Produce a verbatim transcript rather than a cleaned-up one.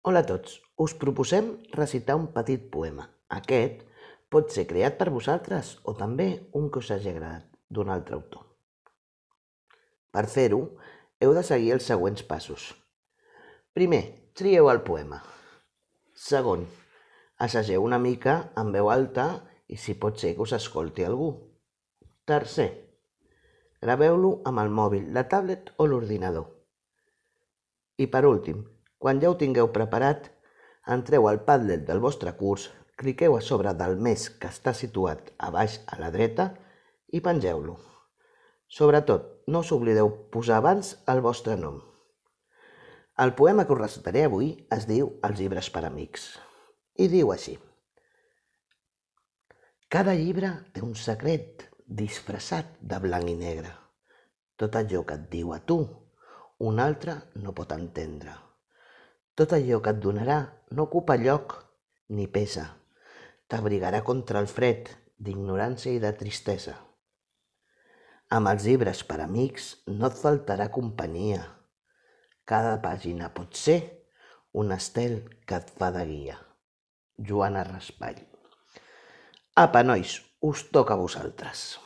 Hola a tots, us proposem recitar un petit poema. Aquest pot ser creat per vosaltres o també un que us hagi agradat d'un altre autor. Per fer-ho, heu de seguir els següents passos. Primer, trieu el poema. Segon, assageu una mica en veu alta i si pot ser que us escolti algú. Tercer, graveu-lo amb el mòbil, la tablet o l'ordinador. I per últim, quan ja ho tingueu preparat, entreu al Padlet del vostre curs, cliqueu a sobre del mes que està situat a baix a la dreta i pengeu-lo. Sobretot, no us oblideu posar abans el vostre nom. El poema que us recitaré avui es diu Els llibres per amics i diu així. Cada llibre té un secret disfressat de blanc i negre. Tot allò que et diu a tu, un altre no pot entendre. Tot allò que et donarà no ocupa lloc ni pesa. T'abrigarà contra el fred d'ignorància i de tristesa. Amb els llibres per amics no et faltarà companyia. Cada pàgina pot ser un estel que et fa de guia. Joana Raspall. Apa, nois, us toca a vosaltres.